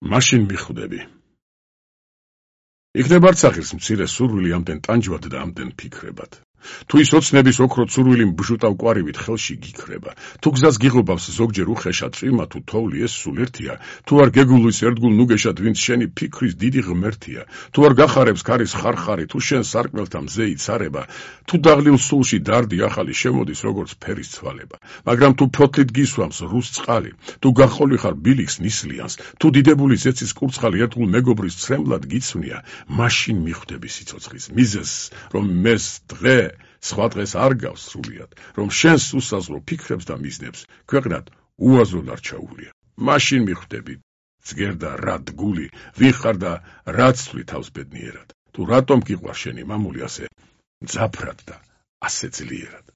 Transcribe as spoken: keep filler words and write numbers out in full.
მაშინ მიხვდები. იქნებ არცახის მცირე სურვილი ამდენ ტანჯვად და ამდენ ფიქრებად. თუ ის ოცნების ოქროთ სურვილი mbჟუტავ კვარივით ხელში გიქრება, თუ გზას გიღობავს ზოგჯერ უხეშა წვიმა თუ თოვლი ეს სულ ერთია, თუ არ გეგულის ერთგულ ნუგეშად ვინც შენი ფიქრის დიდი ღმერთია, თუ არ გახარებს ქარის ხარხარი, თუ შენ სარკმელთა მზე იცარება, თუ დაღლილ სულში დარდი ახალი შემოდის როგორც ფერის ცვალება, მაგრამ თუ ფოთლით გისვამს რუს წყალი, თუ გახოლი ხარ ბილიქს ნისლიანს, თუ დიდებული ზეცის კურცხალი ერთგულ მეგობრის ცრემლად გიცვნია, მაშინ მიხვდები სიცოცხლის მიზეზს, რომ მეს დღე სხვა დღეს არ გავს სრულიად, რომ შენს უსაზღვრო ფიქრებს და მიზნებს ქვეყნად უაზროდ არ ჩაუვლია. მაშინ მიხვდები, ძგერდა რა დგული, ვინ ხარ და რა ცვლი თავს ბედნიერად, თუ რატომ გიყვარ შენი მამული ასე მძაფრად და ასე ძლიერად.